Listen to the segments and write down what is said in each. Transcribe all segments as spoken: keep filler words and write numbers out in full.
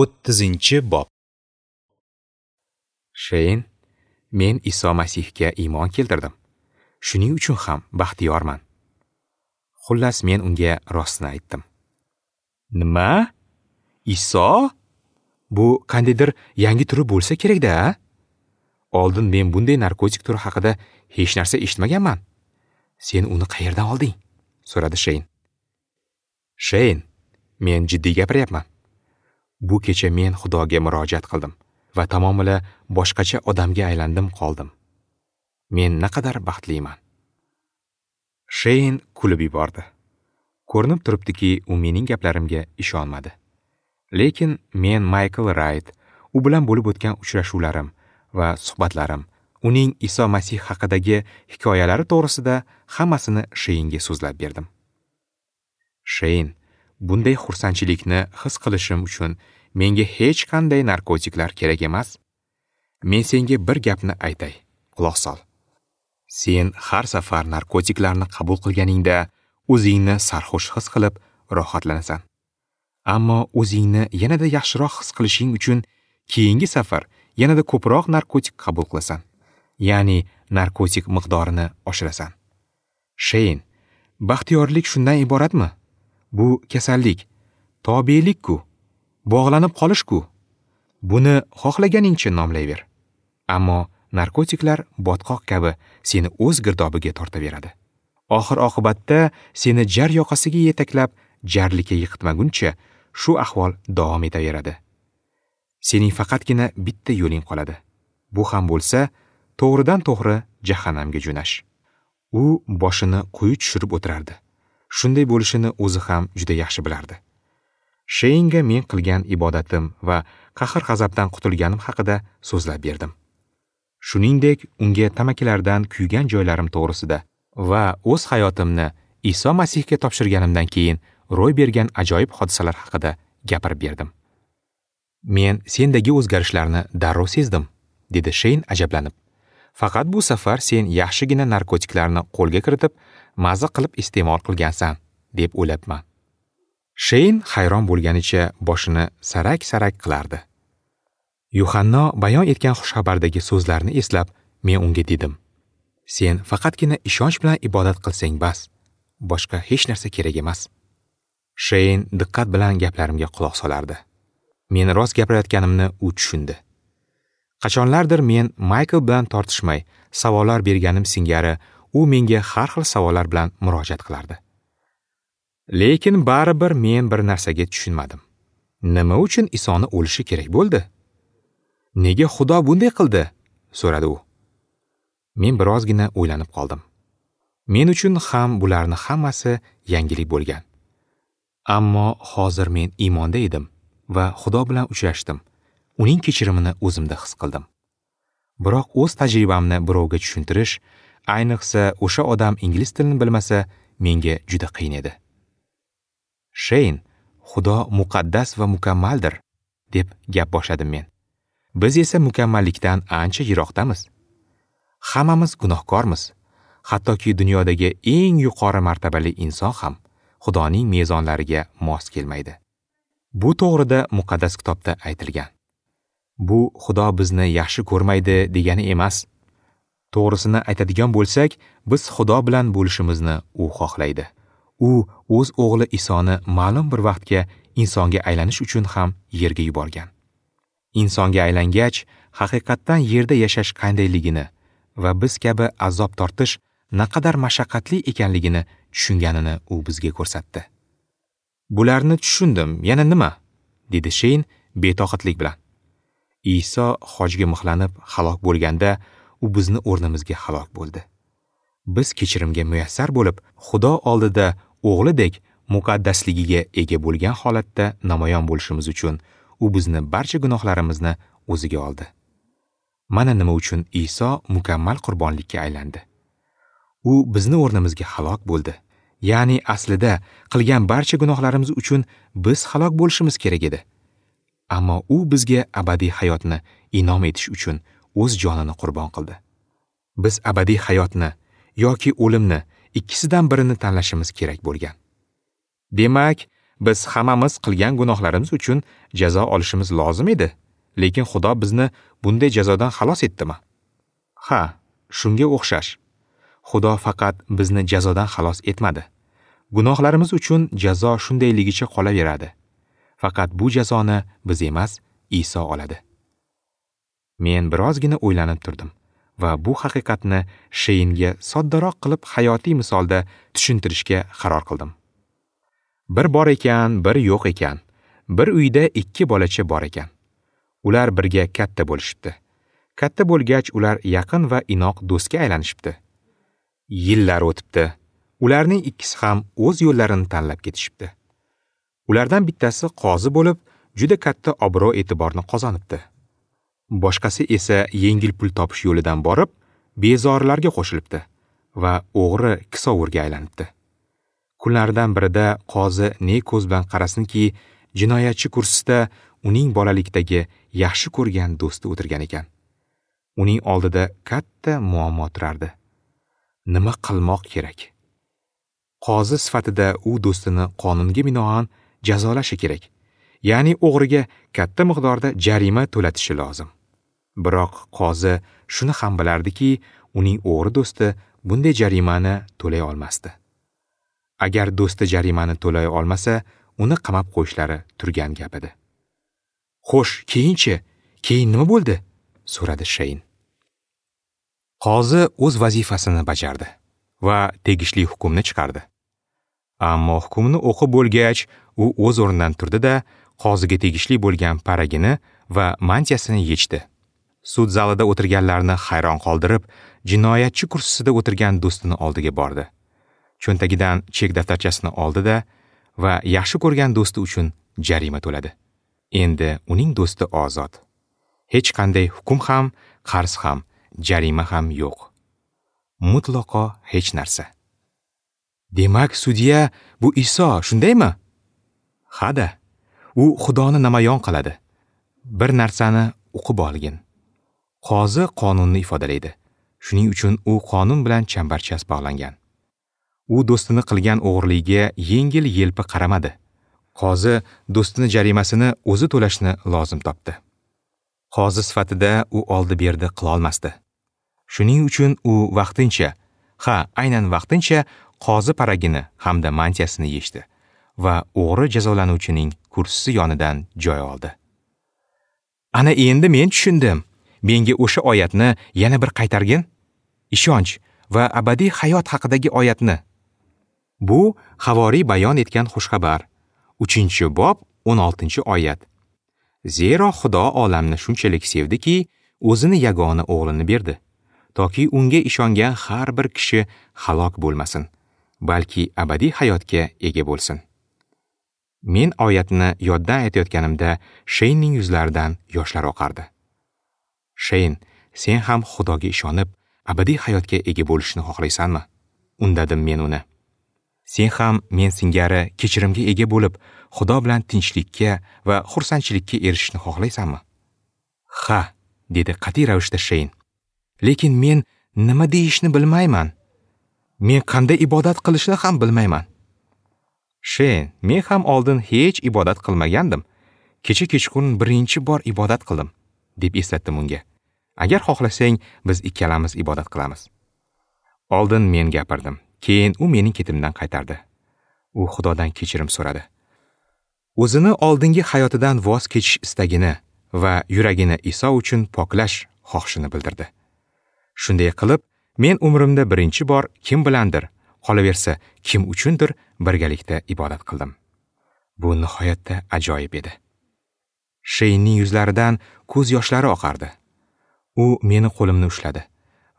O'ttizinchi bob. Sheyn, men Iso Masihga iymon keltirdim. Shuning uchun ham baxtiyorman. Xullas, men unga rostini aytdim. Nima? Iso? Bu qandaydir yangi turi bo'lsa kerak-da? Oldin men bunday narkotik turi haqida hech narsa eshitmaganman. Sen uni qayerdan olding? So'radi Sheyn. Sheyn, men jiddiy gapiryapman. Bu kecha men Xudoga murojaat qildim va tamomila boshqacha odamga aylandim qoldim. Men naqadar baxtliman. Sheyn kulib yubordi. Ko'rinib turibdiki, u mening gaplarimga ishonmadi. Lekin men Maykl Rayt, u bilan bo'lib o'tgan uchrashuvlarim va suhbatlarim, uning Iso Masih haqidagi hikoyalari to'g'risida hammasini Sheynga so'zlab berdim. Sheyn, bunday xursandchilikni his qilishim uchun menga hech qanday narkotiklar kerak emas. Men senga bir gapni aytay, quloq sol. Sen har safar narkotiklarni qabul qilganingda o'zingni sarxush his qilib rohatlanasan. Ammo o'zingni yanada yaxshiroq his qilishing uchun keyingi safar yanada ko'proq narkotik qabul qilasan. Ya'ni narkotik miqdorini oshirasan. Sheyn, baxtiyorlik shundan iboratmi? Bu kasallik, tobelik-ku, bog'lanib qolish-ku. Buni xohlaganingcha nomlayver. Ammo narkotiklar botqoq kabi seni o'z girdobiga tortaveradi. Oxir oqibatda seni jar yoqasiga yetaklab, jarlikka yiqitmaguncha shu ahvol davom etaveradi. Sening faqatgina bitta yo'ling qoladi. Bu ham bo'lsa, to'g'ridan to'g'ri jahannamga jo'nash. U boshini quyi tushirib o'tirardi. Shunday bo'lishini o'zi ham juda yaxshi bilardi. Sheynga men qilgan ibodatim va qahr-g'azabdan qutulganim haqida so'zlab berdim. Shuningdek, unga tamakilardan kuygan joylarim to'g'risida va o'z hayotimni Iso Masihga topshirganimdan keyin ro'y bergan ajoyib hodisalar haqida gapirib berdim. Men sendagi o'zgarishlarni darrov sezdim, dedi Sheyn ajablanib. Faqat bu safar sen yaxshigina narkotiklarni qo'lga kiritib, maza qilib iste'mol qilgansan, deb o'ylabman. Sheyn hayron bo'lganicha boshini sarak-sarak qilardi. Yuhanno bayon etgan xushxabardagi so'zlarni eslab, men unga dedim: Sen faqatgina ishonch bilan ibodat qilsang bas, boshqa hech narsa kerak emas. Sheyn diqqat bilan gaplarimga quloq solardi. Men rost gapirayotganimni u tushundi. Qachonlardir men Maykl bilan tortishmay savollar berganim singari u menga har xil savollar bilan murojaat qilardi. Lekin baribir men bir narsaga tushunmadim. Nima uchun Isoni o'lishi kerak bo'ldi? Nega Xudo bunday qildi? So'radi u. Men birozgina o'ylanib qoldim. Men uchun ham bularni hammasi yangilik bo'lgan. Ammo hozir men iymonda edim va Xudo bilan uchrashdim. Uning kechirimini o'zimda his qildim. Biroq o'z tajribamni birovga tushuntirish, ayniqsa o'sha odam ingliz tilini bilmasa, menga juda qiyin edi. Sheyn, Xudo muqaddas va mukammaldir, deb gap boshladim men. Biz esa mukammallikdan ancha yiroqdamiz. Hammamiz gunohkormiz. Hattoki dunyodagi eng yuqori martabali inson ham Xudoning mezonlariga mos kelmaydi. Bu to'g'rida muqaddas kitobda aytilgan. Bu Xudo bizni yaxshi ko'rmaydi degani emas. To'g'risini aytadigan bo'lsak, biz Xudo bilan bo'lishimizni u xohlaydi. U o'z o'g'li Isoni ma'lum bir vaqtga insonga aylanish uchun ham yerga yuborgan. Insonga aylangach, haqiqatdan yerda yashash qandayligini va biz kabi azob tortish naqadar mashaqqatli ekanligini tushunganini u bizga ko'rsatdi. Bularni tushundim, yana nima? Dedi Sheyn betoqatlik bilan. Iso xojga mixlanib halok bo'lganda, u bizni o'rnimizga halok bo'ldi. Biz kechirimga muyassar bo'lib, Xudo oldida o'g'lidek muqaddasligiga ega bo'lgan holatda namoyon bo'lishimiz uchun u bizni barcha gunohlarimizni o'ziga oldi. Mana nima uchun Iso mukammal qurbonlikka aylandi. U bizni o'rnimizga halok bo'ldi. Ya'ni aslida qilgan barcha gunohlarimiz uchun biz halok bo'lishimiz kerak edi. Ammo u bizga abadiy hayotni inom etish uchun o'z jonini qurbon qildi. Biz abadiy hayotni yoki o'limni ikkisidan birini tanlashimiz kerak bo'lgan. Demak, biz hammamiz qilgan gunohlarimiz uchun jazo olishimiz lozim edi. Lekin Xudo bizni bunday jazodan xalos etdimi? Ha, shunga o'xshash. Xudo faqat bizni jazodan xalos etmadi. Gunohlarimiz uchun jazo shundayligicha qolaveradi. Faqat bu jazoni biz emas, Iso oladi. Men birozgina o'ylanib turdim va bu haqiqatni Sheynga soddaroq qilib hayotiy misolda tushuntirishga qaror qildim. Bir bor ekan, bir yo'q ekan. Bir uyda ikki bolacha bor ekan. Ular birga katta bo'lishibdi. Katta bo'lgach ular yaqin va inoq do'stga aylanishibdi. Yillar o'tibdi. Ularning ikkisi ham o'z yo'llarini tanlab ketishibdi. Ulardan bittasi qozi bo'lib, juda katta obro' e'tiborni qozonibdi. Boshqasi esa yengil pul topish yo'lidan borib, bezorilarga qo'shilibdi va o'g'ri kisovurga aylanibdi. Kunlardan birida qozi ne ko'z bilan qarasinki, jinoyatchi kursisida uning bolalikdagi yaxshi ko'rgan do'sti o'tirgan ekan. Uning oldida katta muammo turardi. Nima qilmoq kerak? Qozi sifatida u do'stini qonunga binoan jazolashi kerak. Ya'ni o'g'riga katta miqdorda jarima to'latishi lozim. Biroq qozi shuni ham bilardiki, uning o'g'ri do'sti bunday jarimani to'lay olmasdi. Agar do'sti jarimani to'lay olmasa, uni qamab qo'yishlari turgan gap edi. Xo'sh, keyinchi? Keyin nima bo'ldi? So'radi Sheyn. Qozi o'z vazifasini bajardi va tegishli hukmni chiqardi. Ammo hukmni o'qib bo'lgach, u o'z o'rnidan turdi-da, qoziga tegishli bo'lgan paragini va mantiyasini yechdi. Sud zalida o'tirganlarni hayron qoldirib, jinoyatchi kursisida o'tirgan do'stini oldiga bordi. Cho'ntagidan chek daftarchasini oldi-da va yaxshi ko'rgan do'sti uchun jarima to'ladi. Endi uning do'sti ozod. Hech qanday hukm ham, qarz ham, jarima ham yo'q. Mutlaqo hech narsa. Demak, sudya bu Iso, shundaymi? Ha-da. U Xudoni namoyon qiladi. Bir narsani o'qib olgin. Qozi qonunni ifodalaydi. Shuning uchun u qonun bilan chambarchas bog'langan. U do'stini qilgan o'g'irligiga yengil-yelpi qaramadi. Qozi do'stini jarimasini o'zi to'lashni lozim topdi. Qozi sifatida u oldi-berdi qila olmasdi. Shuning uchun u vaqtincha, ha, aynan vaqtincha qozi paragini hamda mantiyasini yechdi va o'g'ri jazolanuvchining kursisi yonidan joy oldi. Ana endi men tushundim. Menga o'sha oyatni yana bir qaytargin. Ishonch va abadiy hayot haqidagi oyatni. Bu Havoriy bayon etgan xushxabar. Uchinchi bob, o'n oltinchi oyat. Zero Xudo olamni shunchalik sevdiki, o'zini yagona o'g'lini berdi, toki unga ishongan har bir kishi halok bo'lmasin, balki abadiy hayotga ega bo'lsin. Men oyatni yoddan aytayotganimda Sheynning yuzlaridan yoshlar oqardi. Sheyn, sen ham Xudoga ishonib, abadiy hayotga ega bo'lishni xohlaysanmi? Undadim men uni. Sen ham men singari kechirimga ega bo'lib, Xudo bilan tinchlikka va xursandchilikka erishishni xohlaysanmi? Ha, dedi qat'iy ravishda Sheyn. Lekin men nima deyishni bilmayman. Men qanday ibodat qilishni ham bilmayman. Sheyn, men ham oldin hech ibodat qilmagandim. Kecha kechqurun birinchi bor ibodat qildim, deb eslatdim unga. Agar xohlasang, biz ikkalamiz ibodat qilamiz. Oldin men gapirdim. Keyin u mening ketimdan qaytardi. U Xudodan kechirim so'radi. O'zini oldingi hayotidan voz kechish istagini va yuragini Iso uchun poklash xohishini bildirdi. Shunday qilib, men umrimda birinchi bor kim bilandir, qolaversa kim uchundir birgalikda ibodat qildim. Bu nihoyatda ajoyib edi. Sheynning yuzlaridan ko'z yoshlari oqardi. U meni qo'limni ushladi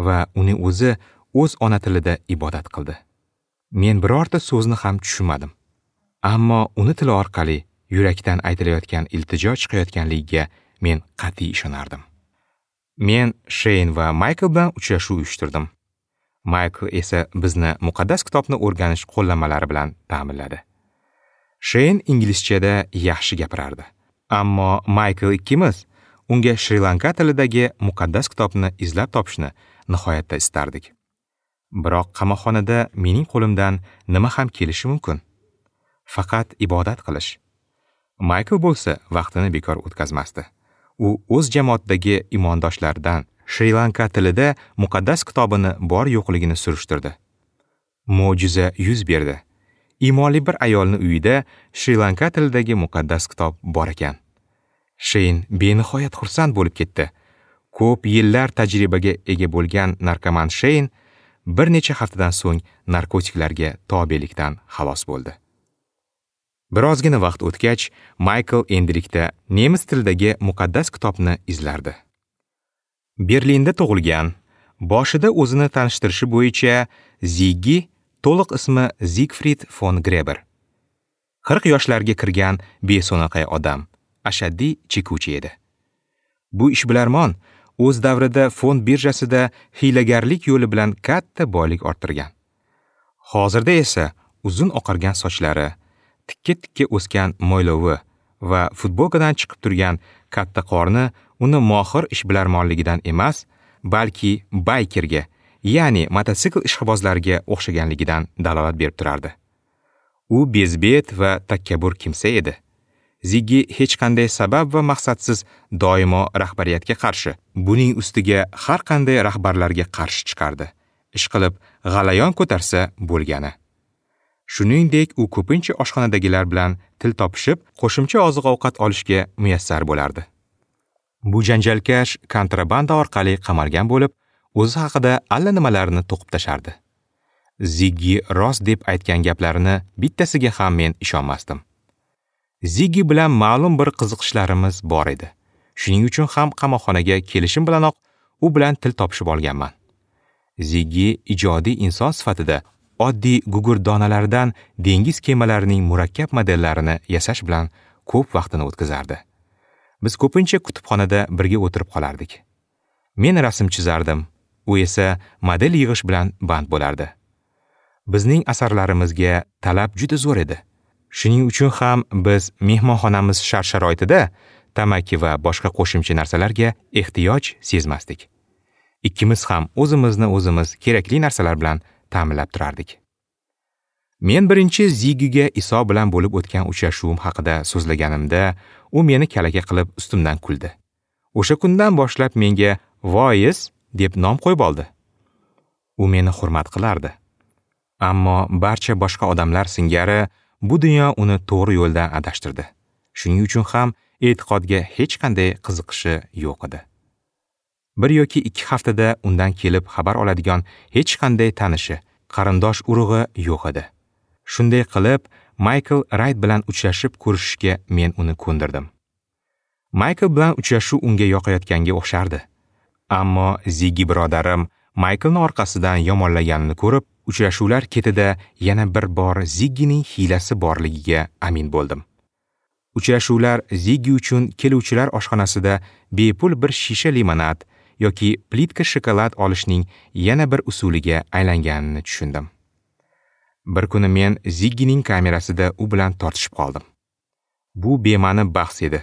va uni o'zi o'z ona tilida ibodat qildi. Men birorta so'zni ham tushunmadim. Ammo uni tili orqali yurakdan aytilayotgan iltijo chiqayotganligiga men qat'iy ishonardim. Men Sheyn va Maykl bilan uchrashuv uyushtirdim. Maykl esa bizni muqaddas kitobni o'rganish qo'llanmalari bilan ta'minladi. Sheyn inglizchada yaxshi gapirardi. Ammo Maykl ikkimiz unga Shri Lanka tilidagi muqaddas kitobni izlab topishni nihoyatda istardik. Biroq qamoqxonada mening qo'limdan nima ham kelishi mumkin? Faqat ibodat qilish. Maykl bo'lsa vaqtini bekor o'tkazmasdi. U o'z jamoatidagi imondoshlaridan Shri-Lanka tilida muqaddas kitobini bor yo'qligini surishtirdi. Mo'jiza yuz berdi. Imonli bir ayolning uyida Shri-Lanka tilidagi muqaddas kitob bor ekan. Sheyn benihoyat xursand bo'lib ketdi. Ko'p yillar tajribaga ega bo'lgan narkoman Sheyn bir necha haftadan so'ng narkotiklarga tobelikdan xalos bo'ldi. Birozgina vaqt o'tgach, Maykl endilikda nemis tilidagi muqaddas kitobni izlardi. Berlinda tug'ilgan, boshida o'zini tanishtirishi bo'yicha Ziggi, to'liq ismi Zigfrid fon Greber. qirq yoshlarga kirgan beso'naqay odam, ashaddiy chekuvchi edi. Bu ishbilarmon o'z davrida fond birjasida hiylagarlik yo'li bilan katta boylik orttirgan. Hozirda esa uzun oqargan sochlari, tikka-tikka o'sgan mo'ylovi va futbolkadan chiqib turgan katta qorni uni mohir ishbilarmonligidan emas, balki baykerga, ya'ni mototsikl ishqibozlariga o'xshaganligidan dalolat berib turardi. U bezbet va takabbur kimsa edi. Ziggi hech qanday sabab va maqsadsiz doimo rahbariyatga qarshi, buning ustiga har qanday rahbarlarga qarshi chiqardi. Ishqilib g'alayon ko'tarsa bo'lgani. Shuningdek, u ko'pincha oshxonadagilar bilan til topishib, qo'shimcha oziq-ovqat olishga muyassar bo'lardi. Bu janjalkash kontrabanda orqali qamalgan bo'lib, o'zi haqida allanimalarni to'qib tashardi. Ziggi rost deb aytgan gaplarini bittasiga ham men ishonmasdim. Ziggi bilan ma'lum bir qiziqishlarimiz bor edi. Shuning uchun ham qamoqxonaga kelishim bilanoq u bilan til topishib olganman. Ziggi ijodiy inson sifatida oddiy gugurt donalaridan dengiz kemalarining murakkab modellarini yasash bilan ko'p vaqtini o'tkazardi. Biz ko'pincha kutubxonada birga o'tirib qolardik. Men rasm chizardim, u esa model yig'ish bilan band bo'lardi. Bizning asarlarimizga talab juda zo'r edi. Shuning uchun ham biz mehmonxonamiz shart-sharoitida tamaki va boshqa qo'shimcha narsalarga ehtiyoj sezmasdik. Ikkimiz ham o'zimizni o'zimiz kerakli narsalar bilan ta'minlab turardik. Men birinchi Ziggiga Iso bilan bo'lib o'tgan uchrashuvim haqida so'zlaganimda, u meni kalaka qilib ustimdan kuldi. O'sha kundan boshlab menga Voiz deb nom qo'yib oldi. U meni hurmat qilardi. Ammo barcha boshqa odamlar singari bu dunyo uni to'g'ri yo'ldan adashtirdi. Shuning uchun ham e'tiqodga hech qanday qiziqishi yo'q edi. Bir yoki ikki haftada undan kelib xabar oladigan hech qanday tanishi, qarindosh urug'i yo'q edi. Shunday qilib, Maykl Rayt bilan uchrashib ko'rishishga men uni ko'ndirdim. Maykl bilan uchrashuv unga yoqayotganga o'xshardi. Ammo Ziggi birodarim Maykilni orqasidan yomonlaganini ko'rib, uchrashuvlar ketida yana bir bor Ziggining hiylasi borligiga amin bo'ldim. Uchrashuvlar Ziggi uchun keluvchilar oshxonasida bepul bir shisha limonad yoki plitka shokolad olishning yana bir usuliga aylanganini tushundim. Bir kuni men Ziggining kamerasida u bilan tortishib qoldim. Bu bema'ni bahs edi.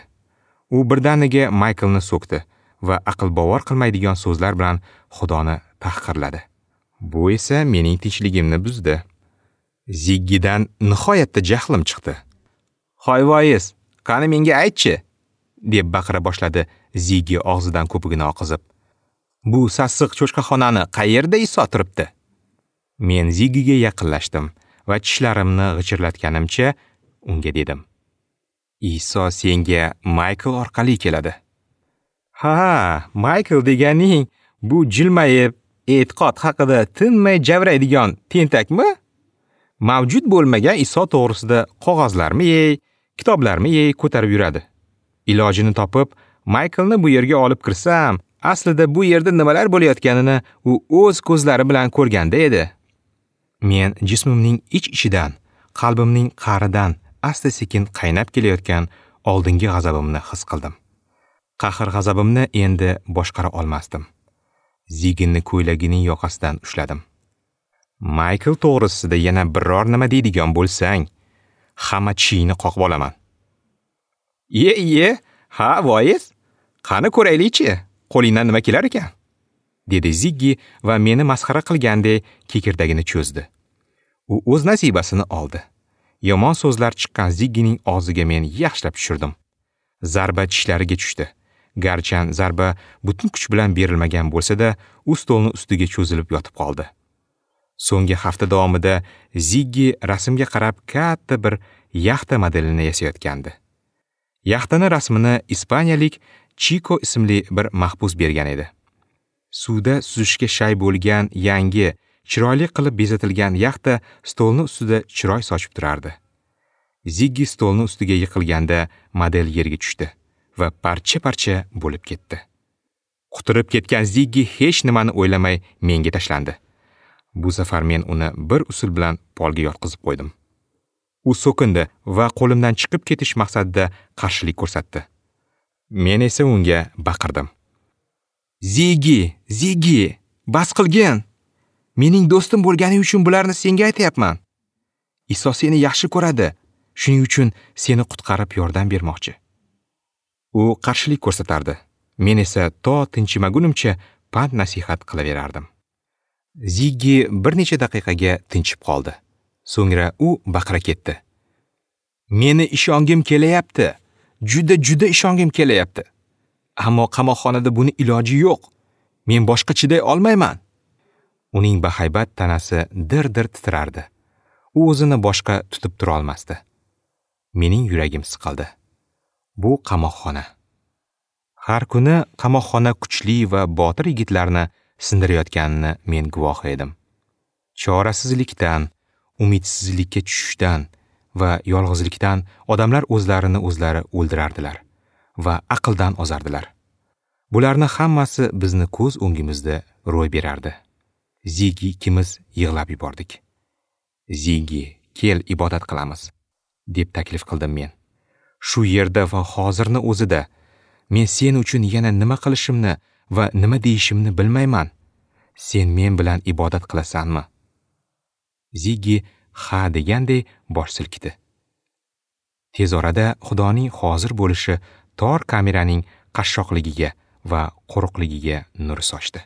U birdaniga Maykilni so'kdi va aql bovar qilmaydigan so'zlar bilan Xudoni tahqirladi. Bu esa mening tinchligimni buzdi. Ziggidan nihoyatda jahlim chiqdi. "Hoy voiz, qani menga aytchi?" deb baqira boshladi Ziggi og'zidan ko'pigini oqizib. "Bu sassiq cho'chqaxonani qayerda Iso turibdi?" Men Ziggiga yaqinlashdim va tishlarimni g'ichirlatganimcha unga dedim: "Iso senga Maykl orqali keladi." "Ha, Maykl deganing bu jilmayib e'tiqod haqida tinmay javraydigan tentakmi? Mavjud bo'lmagan Iso to'g'risida qog'ozlarmi yey, kitoblarmi yey ko'tarib yuradi. Ilojini topib, Maykilni bu yerga olib kirsam, aslida bu yerda nimalar bo'layotganini u o'z ko'zlari bilan ko'rganda edi." Men jismimning ich-ichidan, qalbimning qa'ridan asta-sekin qaynab kelayotgan oldingi g'azabimni his qildim. Qahr-g'azabimni endi boshqara olmasdim. Zigginni ko'ylagining yoqasidan ushladim. "Maykl to'g'risida yana biror nima deydigan bo'lsang, hamma tishingni qoqib olaman." "Iye, iye, ha, voiz, qani ko'raylikchi, qo'lingdan nima kelar ekan?" dedi Ziggi va meni masxara qilgandek kekirdagini cho'zdi. U o'z nasibasini oldi. Yomon so'zlar chiqqan Ziggining og'ziga men yaxshilab tushirdim. Zarba tishlariga tushdi. Garchan zarba butun kuch bilan berilmagan bo'lsa-da, u stolni ustiga cho'zilib yotib qoldi. So'nggi hafta davomida Ziggi rasmga qarab katta bir yaxta modelini yasayotgandi. Yaxtani rasmini ispaniyalik Chiko ismli bir mahbus bergan edi. Suvda suzishga shay bo'lgan yangi, chiroyli qilib bezatilgan yaxta stolni ustida chiroy sochib turardi. Ziggi stolni ustiga yiqilganda model yerga tushdi va parcha-parcha bo'lib ketdi. Quturib ketgan Ziggi hech nimani o'ylamay menga tashlandi. Bu safar men uni bir usul bilan polga yotqizib qo'ydim. U so'kindi va qo'limdan chiqib ketish maqsadida qarshilik ko'rsatdi. Men esa unga baqirdim. Ziggi, Ziggi, bas qilgin! Mening do'stim bo'lgani uchun bularni senga aytayapman. Iso seni yaxshi ko'radi, shuning uchun seni qutqarib yordam bermoqchi. U qarshilik ko'rsatardi. Men esa to tinchimagunimcha pand nasihat qilaverardim. Ziggi bir necha daqiqaga tinchib qoldi. So'ngra u baqira ketdi. Meni ishongim kelayapti. Juda juda ishongim kelayapti. Ammo qamoqxonada buni iloji yo'q. Men boshqa chiday olmayman. Uning bahaybat tanasi dir-dir titrardi. U o'zini boshqa tutib tura olmasdi. Mening yuragim siqildi. Bu qamoqxona. Har kuni qamoqxona kuchli va botir yigitlarni sindirayotganini men guvohi edim. Chorasizlikdan, umidsizlikka tushishdan va yolg'izlikdan odamlar o'zlarini o'zlari o'ldirardilar va aqldan ozardilar. Bularni hammasi bizni ko'z o'ngimizda ro'y berardi. Ziggi ikimiz yig'lab yubordik. Ziggi, kel ibodat qilamiz, deb taklif qildim men. Shu yerda va hozirni o'zida men sen uchun yana nima qilishimni va nima deyishimni bilmayman. Sen men bilan ibodat qilasanmi? Ziggi ha deganday bosh silkidi. Tez orada Xudoning hozir bo'lishi tor kameraning qashshoqligiga va qo'riqligiga nur sochdi.